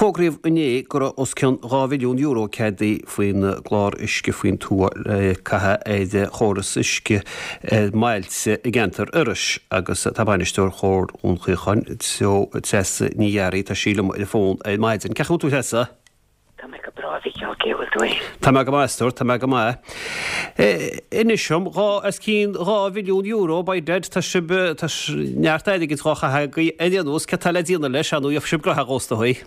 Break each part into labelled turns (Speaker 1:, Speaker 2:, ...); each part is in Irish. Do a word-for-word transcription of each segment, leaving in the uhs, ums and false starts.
Speaker 1: Fógraíodh inné go raibh os cionn dhá mhilliún euro ceadaithe faoin gclár Uisce faoin Tuath le caitheamh ar chóras uisce i mbailte i gceantar Iorrais agus tá bainisteoir Chomhar Dhún Chaocháin, Treasa Ní Fhearraigh, tá sí liom ar an bhfón ar maidin. Cén chaoi a bhfuil tú, Treasa?
Speaker 2: Tá mé go breá, a Mhícheáil, cén chaoi a bhfuil tú fhéin?
Speaker 1: Tá mé go maith, a stór, tá mé go maith. Inis dom, dhá, os cionn dhá mhilliún euro, by dad, tá sibh, tá neart airgid dhá chaitheamh agaibh ar aon nós, céard tá le déanamh leis, ar ndóigh, gheobhaidh sibh graitheadh is dóigh.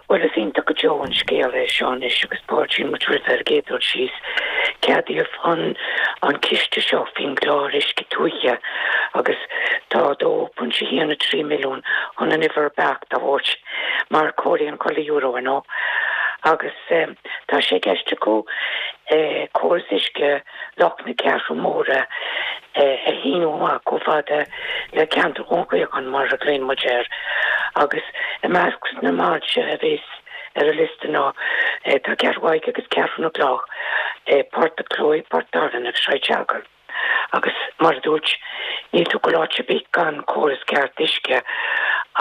Speaker 2: Bhuel, is iontach go deo an scéal é seo anois agus fáiltíonn muid roimhe ar an gcéad dul síos. Ceadaíodh an an ciste seo faoin gclár Uisce Tuaithe agus tá dó pointe haon a trí milliún chun an uimhir beacht a thabhairt mar comhairlíonn chuile euro ar ndóigh agus tá sé i gceist acu córas uisce Loch na Ceathrún Móire a shíniú amach chomh fada le ceantar Dhún Chaocháin mar a ghlaonn muid air agus i measc na mbailte a bheas ar an liosta ná tá Ceathrú Thaidhg agus Ceathrú na gCloch, Port a' Chlóidh, Port Dáirine agus Sraith Sealgair. Agus mar a dúirt, níl tú ag goil áit ar bith gan córas ceart uisce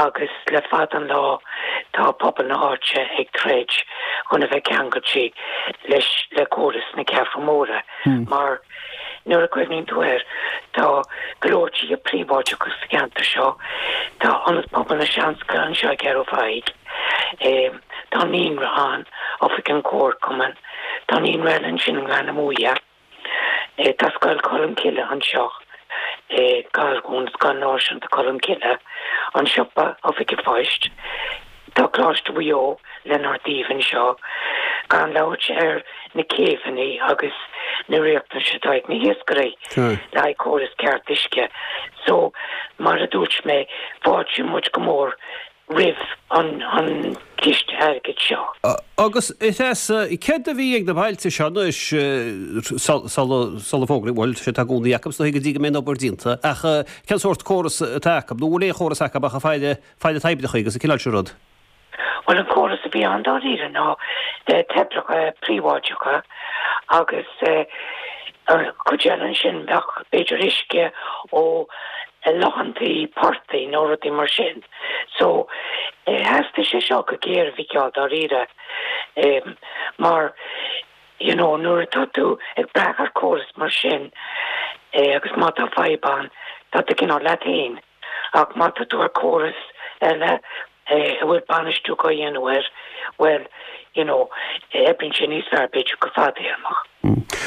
Speaker 2: agus le fada an lá tá pobal na háite ag troid chun a bheith ceangailte leis le córas na Ceathrún Móire mar nuair a chuimhníonn tú air tá go leor tithe príobháideacha sa cheantar seo, tá Ionad Pobail na Seanscoile anseo i gCeathrú Thaidhg, tá naíonra ann, Oifig an Chomharchumainn, tá naíonra eile ansin i nGleann na Muaidhe. Tá Scoil Cholmcille anseo i gCalgún, Scoil Náisiúnta Cholmcille, an siopa, Oifig an Phoist, tá Coláiste Mhaigh Eo lenár dtaobh anseo, gan labhairt ar na céibheanna agus na riachtanais atá ag na hiascairí le haghaidh córas ceart uisce. So, mar a dúirt mé, fáiltíonn muid go mór roimh an gciste airgid seo.
Speaker 1: Agus, a Threasa, céard a bhí ag na bailte seo anois sula fógraíodh, bhuel, sé tá i gcónaí acu is dóigh go dtí go mbeidh an obair déanta, ach cén sórt córas atá acu, nó bhfuil aon chóras acu ach ag faire, faire toibreacha agus an cineál sin rud?
Speaker 2: Bhuel, an córas a bhí ann dáiríre ná toibreacha príobháideacha agus cuid eile ansin bheadh b'fhéidir uisce ó lochantaí portaigh nó rudaí mar sin. So, theastaigh sé seo go géar, a Mhícheáil, dáiríre, mar you know nuair atá tú ag brath ar chóras mar sin agus má tá fadhb ann, tá tú cineál leat féin. Ach má tá tú ar chóras eile a bhfuil bainistiú á dhéanamh air, bhuel, you know, oibríonn sé níos fearr b'fhéidir go fadtéarmach.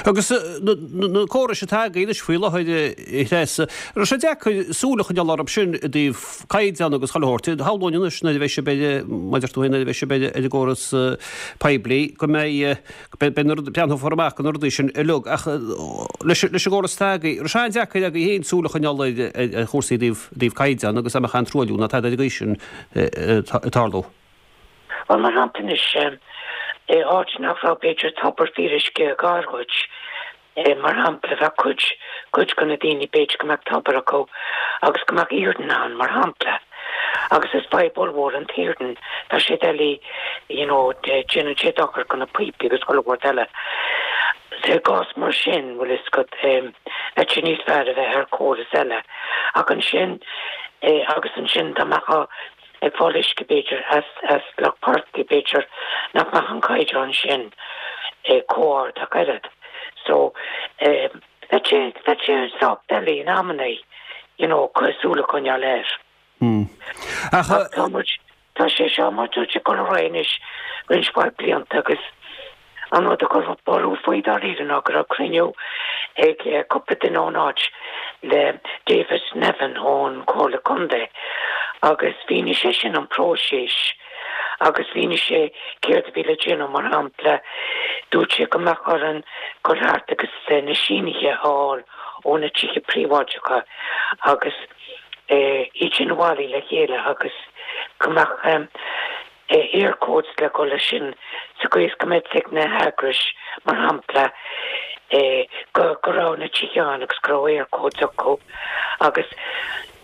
Speaker 1: Agus na córais atá agaibh anois faoi láthair, a Threasa, an raibh sé deacair súil a choinneáil orthu sin i dtaobh caighdeán agus chuile shórt? Shamhlóinn anois nuair a bheidh sibh ar, mar a deir tú féin, nuair a bheidh sibh ar an gcóras poiblí go mbeidh, beidh na rudaí, breathnófar amach do na rudaí sin uilig. Ach leis an gcóras atá agaibh, an raibh sé an-deacair agaibh féin súil a choinneáil ar chúrsaí i dtaobh, i dtaobh caighdeán agus dá mbeadh aon truailliú ná tada ar an gcaoi sin ag tarlú?
Speaker 2: Bhuel, mar shampla anois, i áit nach raibh b'fhéidir tobar fíoruisce gar dhuit, mar shampla, bheadh cuid, cuid de na daoine b'fhéidir go mbeadh tobar acu agus go mbeadh iarann ann, mar shampla. Agus is fadhb ollmhór an t-iarann, tá sé doiligh, you know, déanann sé dochar do na píopaí agus chuile shórt eile. So i gcás mar sin, bhfuil fhios agat, bheadh sé níos fearr a bheith ar chóras eile. Ach ansin, agus ansin dá mbeadh ag fáil uisce b'fhéidir as as loch portaigh b'fhéidir nach mbeadh an caighdeán sin chomh ard ach oiread. So bheadh sé bheadh sé sách doiligh in amannaí you know súil a choinneáil air.
Speaker 1: Ach
Speaker 2: Ach tá muid tá sé seo mar dúirt ag dul ar aghaidh anois roinnt mhaith blianta agus An rud a chuir borradh faoi dáiríre ná go raibh cruinniú ag cúpla duine ón áit le David Nevin ón Chomhairle Contae agus mhínigh seisean an próiseas agus mhínigh sé céard a bhí le déanamh, mar shampla dúirt sé go mbeadh orainn dul thart agus na sínithe a fháil ó na tithe príobháideacha agus iad sin a bhailiú le chéile agus go mbeadh Eircodes le dhul leis sin sa gcaoi is go mbeadh fhios ag na heagrais, mar shampla, go go raibh na tithe ann agus go raibh Eircodes acu agus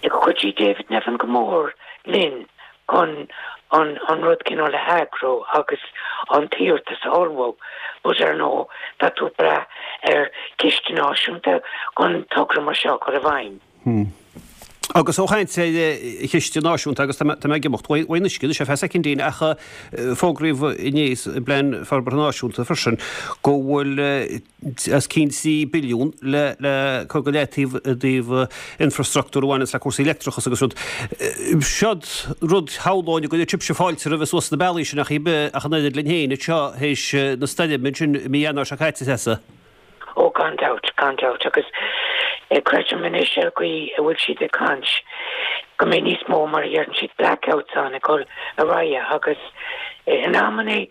Speaker 2: chuidigh David Nevin go mór linn chun an an rud cineál a eagrú agus an t-iarratas a ullmhú but ar ndóigh tá tú ag brath ar chiste náisiúnta chun togra mar seo a chur i bhfeidhm.
Speaker 1: Hmm. Agus ó chaint ar chiste náisiúnta agus tá mé ag imeacht uaidh an uisce anois ar feadh soicindín ach fógraíodh inné sa bPlean Forbartha Náisiúnta freisin go bhfuil os cionn trí billiún le le cur go leataobh i dtaobh infrastruchtúr a bhaineanns le cúrsaí leictreachas agus rud. Seod rud shamhlóinn go gcuirfeadh sibhse fáilte roimhe suas na bealaí sin ach ach an oiread linn féin anseo théis na stoirme sin i mí Eanáir seo caite, Treasa.
Speaker 2: Ó gan dabht, gan dabht, agus creidim anois ar an gcaoi a bhfuil siad ag caint go mbeidh níos mó mar a dheireann siad blackouts ann ag dul ar aghaidh agus in amannaí,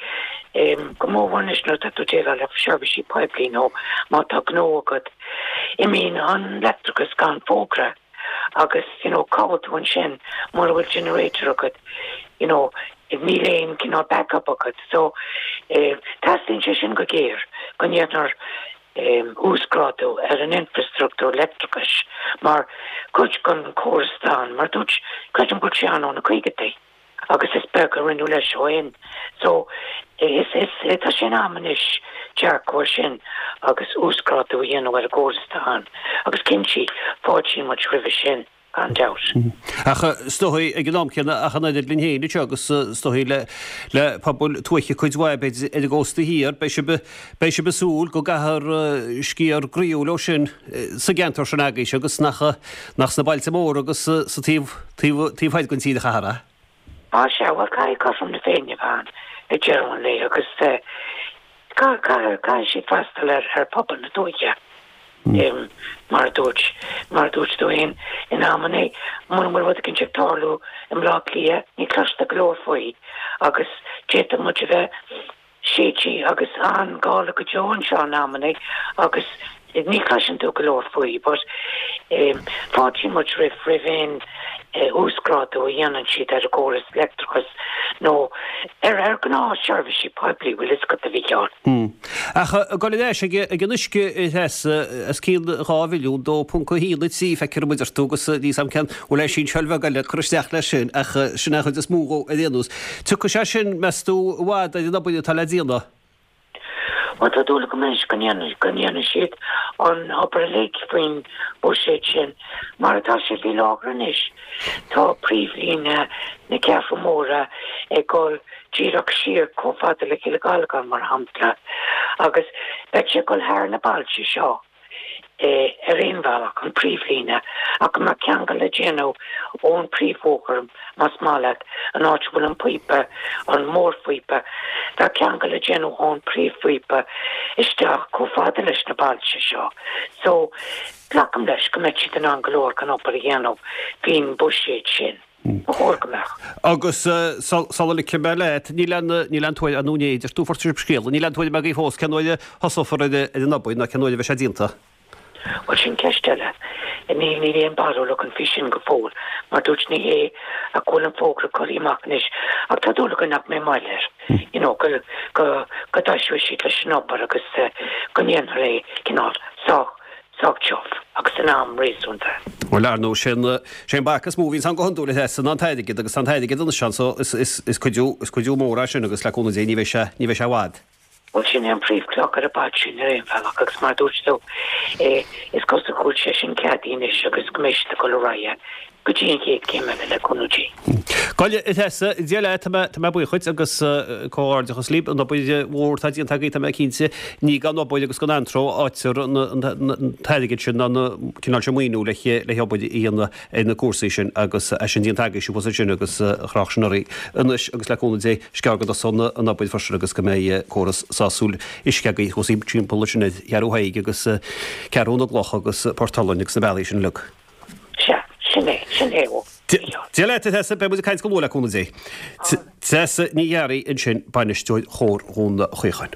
Speaker 2: go mórmhór anois nuair atá tú ag déileáil le seirbhísí poiblí nó má tá gnó agat, imíonn an leictreachas gan fógra agus you know cá bhfuil tú ansin mura bhfuil generator agat, you know níl aon cineál backup agat so teastaíonn sé sin go géar go ndéanfar uasghrádú ar an infreastruchtúr leictreachais mar chuid den chóras atá ann mar dúirt creidim go bhfuil sé ann ó na caogaidí agus is beag a rinneadh leis ó shin so is is tá sé in am anois dearcadh air sin agus uasghrádú a dhéanamh ar an gcóras atá ann agus cinnte fáiltíonn muid roimhe sin. gan dabht.
Speaker 1: Ach is dóigh ag an am céanna ach an oiread linn féin anseo agus is dóigh le le pobail tuaithe cuid mhaith b'fhéidir ar an gcósta thiar, beidh sibh beidh sibh ag súil go gcaithfear sciar groíúil ó sin sa gceantar sin agaibhse agus nach nach sna bailte móra agus sa taobh taobh taobh thoir den tír a chaithfear é.
Speaker 2: Á sea, bhuel caithfidh cothrom na Féinne a bheith ann ag deireadh an lae agus caithfidh caithfidh siad freastal ar ar phobal na tuaithe. Mar a dúirt, mar a dúirt tú féin, in amannaí, mura bhfuil rud eicínt ag tarlú i mBleá Cliath, ní chloistear go leor faoi agus d'fhéadfadh muid a bheith séidte agus an-gála go deo anseo in amannaí agus ní chloiseann tú go leor faoi but fáiltíonn muid roimh, roimh aon uasghrádú a dhéanann siad ar an gcóras leictreachais nó ar ar ghnáthsheirbhísí poiblí, bhfuil fhios agat, a Mhícheáil.
Speaker 1: Ach ag dul ar ais ag an uisce, a Threasa, os cionn dhá mhilliún, dó ponc a haon a trí, feictear dom a deir tú agus níl 'fhios a'm cén bhfuil aon sínseáil bheag eile ag cur isteach leis sin ach sin é an chuid is mó dhó ar aon nós. Tiocfaidh sé sin, meas tú, i bhfad ar an obair atá le déanamh?
Speaker 2: Bhuel, tá dúil agam anois go ndéanfaidh, go ndéanfaidh siad an obair uilig faoin bhuiséad sin. Mar atá sé faoi láthair anois, tá príomhlíne na Ceathrún Móire ag dul díreach siar chomh fada le Cill Ghallagáin, mar shampla, agus beidh sé ag dul thar na bailte seo. ar aon bhealach, an príomhlíne, ach go mbeadh ceangal le déanamh ón príomhbhóthar, más maith leat, an áit a bhfuil an píopa, an mórphíopa, bheadh ceangal le déanamh ón príomhphíopa isteach chomh fada leis na bailte seo. So, glacaim leis go mbeidh siad in ann go leor den obair a dhéanamh faoin bhuiséad sin. Ba chóir go mbeadh.
Speaker 1: Agus sula ligfidh mé leat, níl aon, níl aon tuairim, nó ní deir tú fuair sibh scéala, níl aon tuairim agaibh fós cén uair a thosófar ar an obair ná cén uair a bheidh sé déanta?
Speaker 2: Bhuel, sin ceist eile. Níl, níl aon barúil againn faoi sin go fóill. Mar dúirt, ní hé ach go bhfuil an fógra curtha amach anois, ach tá dúil againn nach mbeidh moill air, you know, go, go, go dtoiseoidh siad leis an obair agus go ndéanfar é cineál sách sách tiubh agus in am réasúnta.
Speaker 1: Bhuel, ar ndóigh, sé an, sé an bac is mó a bhíonns ann go hiondúil, a Threasa, ná an t-airgead agus tá an t-airgead anois ann so is, is, is cuidiú, is cuidiú mór é sin agus le cúnamh Dé ní bheidh sé, ní bheidh sé i bhfad.
Speaker 2: Bhuel, sin é an príomhchloch ar an bpaidrín ar aon bhealach agus mar a dúirt tú, is cosúil go bhfuil sé sin ceadaithe anois agus go mbeidh siad ag dul ar aghaidh. Go dtí an chéad chéim eile, le cúnamh Dé.
Speaker 1: Go leor, a Threasa, Dia leat, tá mé, tá mé buíoch dhuit agus comhghairdeachas libh, an obair mhór atá déanta agaibh, tá mé cinnte, ní gan obair agus gan anró a fhaightear an t-airgead sin ná an cineál sin maoiniú le le hobair a dhéanamh ar na cúrsaí sin agus é sin déanta agaibhse thuas ansin agus chroch sin oraibh anois agus le cúnamh Dé is gearr go dtosóidh an obair freisin agus go mbeidh córas sásúil uisce agaibh thuas timpeall ansin ar Cheathrú Thaidhg agus Ceathrú na gCloch agus Port Olann agus na bealaí sin uilig.
Speaker 2: Sea, sin é, sin é, ó, Mhícheál.
Speaker 1: Dia leat, a Threasa, beidh muid ag caint go luath le cúnamh Dé. Treasa Ní Ghearraigh ansin, bainisteoir Chomhar Dhún Chaocháin.